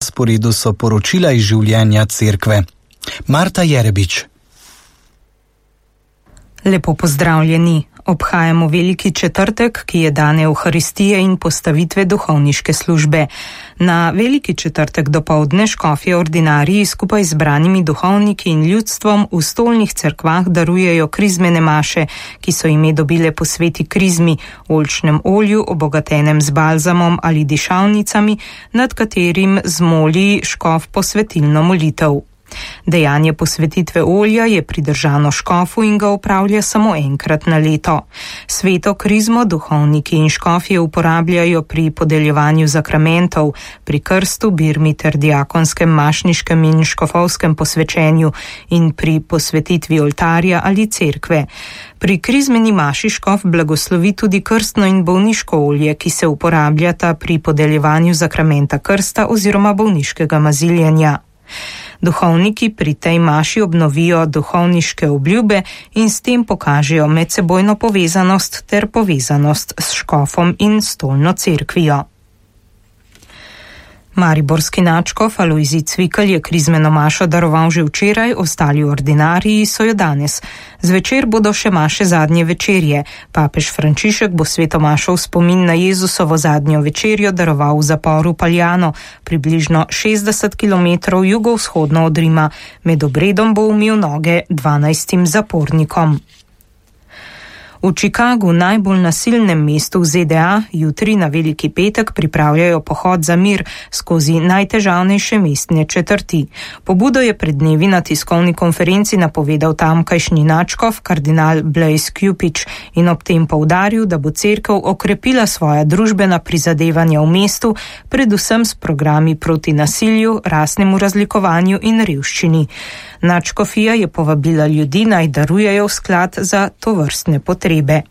sporedu so poročila iz življenja cerkve. Marta Jerebič. Lepo pozdravljeni. Obhajamo Veliki četrtek, ki je dan Evharistije in postavitve duhovniške službe. Na Veliki četrtek dopoldne škofje ordinariji skupaj z zbranimi duhovniki in ljudstvom v stolnih cerkvah darujejo krizmene maše, ki so ime dobile po sveti krizmi, oljčnem olju, obogatenem z balzamom ali dišavnicami, nad katerim zmoli škof posvetilno molitev. Dejanje posvetitve olja je pridržano škofu in ga opravlja samo enkrat na leto. Sveto krizmo duhovniki in škofje uporabljajo pri podeljevanju zakramentov, pri krstu, birmi ter diakonskem, mašniškem in škofovskem posvečenju in pri posvetitvi oltarja ali cerkve. Pri krizmeni maši škof blagoslovi tudi krstno in bolniško olje, ki se uporabljata pri podeljevanju zakramenta krsta oziroma bolniškega maziljenja. Duhovniki pri tej maši obnovijo duhovniške obljube in s tem pokažejo medsebojno povezanost ter povezanost s škofom in stolno cerkvijo. Mariborski nadškof Alojzij Cvikl je krizmeno mašo daroval že včeraj, ostali ordinariji so jo danes. Zvečer bodo še maše zadnje večerje. Papež Frančišek bo sveto mašo v spomin na Jezusovo zadnjo večerjo daroval v zaporu Paljano, približno 60 km jugovzhodno od Rima. Med obredom bo umil noge 12 zapornikom. V Chicagu, najbolj nasilnem mestu v ZDA, jutri na Veliki petek pripravljajo pohod za mir skozi najtežavnejše mestne četrti. Pobudo je pred dnevi na tiskovni konferenci napovedal tamkajšnji nadškof kardinal Blaise Cupich in ob tem poudaril, da bo cerkev okrepila svoja družbena prizadevanja v mestu, predvsem s programi proti nasilju, rasnemu razlikovanju in revščini. Nadškofija je povabila ljudi, naj darujejo v sklad za tovrstne potrebe.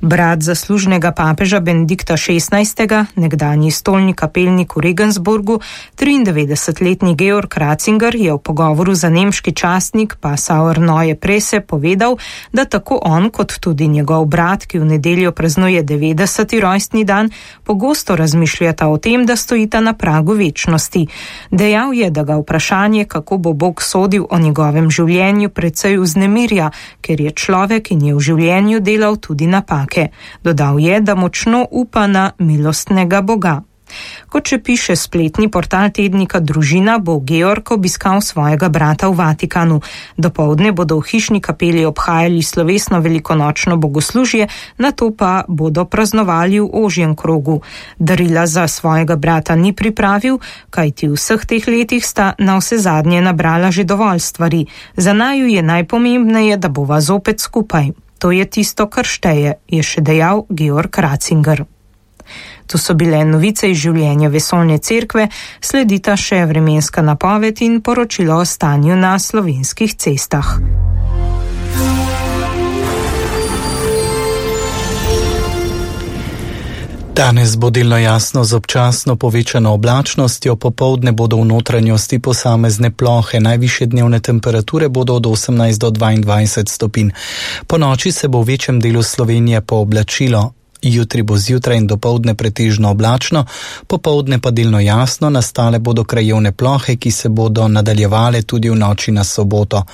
Brat zaslužnega papeža Benedikta XVI., nekdanji stolni kapelnik v Regensburgu, 93-letni Georg Ratzinger je v pogovoru za nemški časnik Passauer Neue Presse povedal, da tako on kot tudi njegov brat, ki v nedeljo praznuje 90. rojstni dan, pogosto razmišljata o tem, da stojita na pragu večnosti. Dejal je, da ga vprašanje, kako bo Bog sodil o njegovem življenju, precej vznemirja, ker je človek in je v življenju delal tudi napake. Dodal je, da močno upa na milostnega Boga. Kot še piše spletni portal tednika Družina, bo Georg obiskal svojega brata v Vatikanu. Dopoldne bodo v hišni kapeli obhajali slovesno velikonočno bogoslužje, nato pa bodo praznovali v ožjem krogu. Darila za svojega brata ni pripravil, kajti v vseh teh letih sta na vse zadnje nabrala že dovolj stvari. Za naju je najpomembneje, da bova zopet skupaj. To je tisto, kar šteje, je še dejal Georg Ratzinger. To so bile novice iz življenja vesoljne cerkve, sledita še vremenska napoved in poročilo o stanju na slovenskih cestah. Danes bo delno jasno z občasno povečano oblačnostjo, popoldne bodo v notranjosti posamezne plohe, najvišje dnevne temperature bodo od 18 do 22 stopinj. Po noči se bo v večjem delu Slovenije pooblačilo. Jutri bo zjutraj in dopoldne pretežno oblačno, popoldne pa delno jasno, nastale bodo krajevne plohe, ki se bodo nadaljevale tudi v noči na soboto.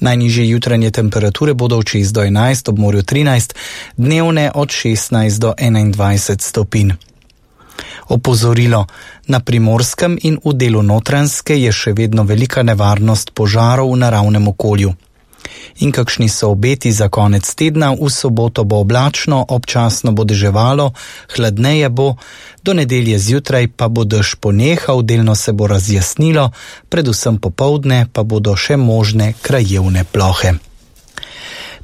Najnižje jutranje temperature bodo od 6 do 11, ob morju 13, dnevne od 16 do 21 stopinj. Opozorilo: na Primorskem in v delu Notranjske je še vedno velika nevarnost požarov v naravnem okolju. In kakšni so obeti za konec tedna? V soboto bo oblačno, občasno bo deževalo, hladneje bo, do nedelje zjutraj pa bo dež ponehal, delno se bo razjasnilo, predvsem popoldne pa bodo še možne krajevne plohe.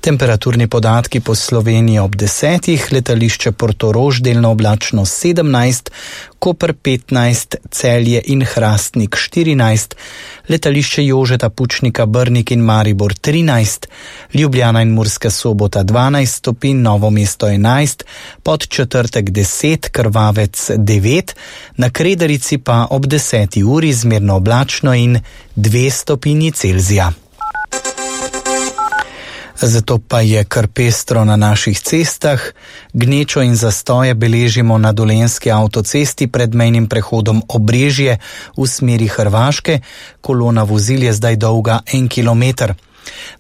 Temperaturni podatki po Sloveniji ob 10, letališče Portorož delno oblačno 17, Koper 15, Celje in Hrastnik 14, letališče Jožeta Pučnika Brnik in Maribor 13, Ljubljana in Murska Sobota 12 stopinj, Novo mesto 11, Podčetrtek 10, Krvavec 9, na Kredarici pa ob 10. uri zmerno oblačno in 2 stopinji Celzija. Zato pa je kar pestro na naših cestah. Gnečo in zastoje beležimo na Dolenjski avtocesti pred mejnim prehodom Obrežje v smeri Hrvaške. Kolona vozil je zdaj dolga 1 kilometer.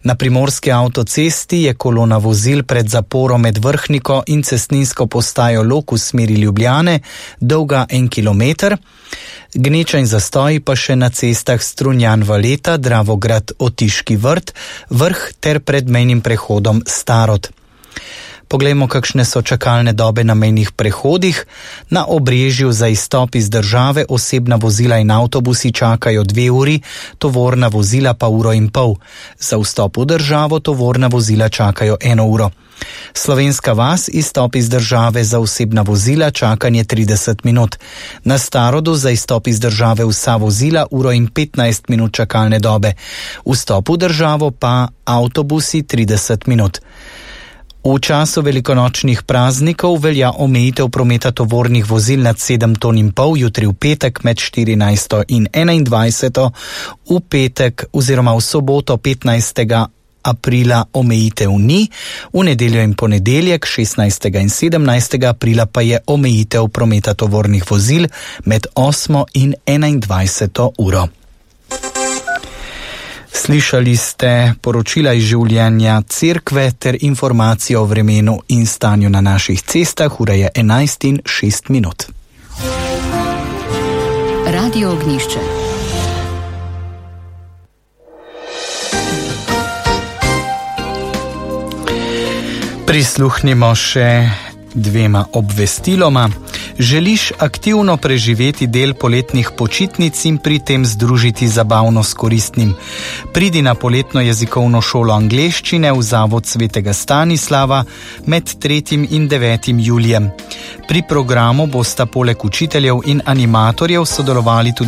Na Primorski avtocesti je kolona vozil pred zaporom med Vrhniko in cestninsko postajo Lok v smeri Ljubljane dolga 1 kilometer. Gneča in zastoji pa še na cestah Strunjan-Valeta, Dravograd-Otiški vrt, Vrh ter pred mejnim prehodom Starod. Poglejmo, kakšne so čakalne dobe na mejnih prehodih. Na Obrežju za izstop iz države osebna vozila in avtobusi čakajo 2 uri, tovorna vozila pa 1,5 ure. Za vstop v državo tovorna vozila čakajo 1 uro. Slovenska vas, izstop iz države za osebna vozila, čakanje 30 minut. Na Starodu za izstop iz države vsa vozila 1 uro in 15 minut čakalne dobe. Vstop v državo pa avtobusi 30 minut. V času velikonočnih praznikov velja omejitev prometa tovornih vozil nad 7,5 ton, jutri v petek med 14. in 21. V petek oziroma v soboto 15. aprila omejitev ni, v nedeljo in ponedeljek 16. in 17. aprila pa je omejitev prometa tovornih vozil med 8. in 21. uro. Slišali ste poročila iz življenja cerkve ter informacije o vremenu in stanju na naših cestah. Ura je 11:06. Radio Ognjišče. Prisluhnimo še 2 obvestiloma. Želiš aktivno preživeti del poletnih počitnic in pri tem združiti zabavno s koristnim? Pridi na poletno jezikovno šolo angleščine v Zavod Svetega Stanislava med 3. in 9. julijem. Pri programu bosta poleg učiteljev in animatorjev sodelovali tudi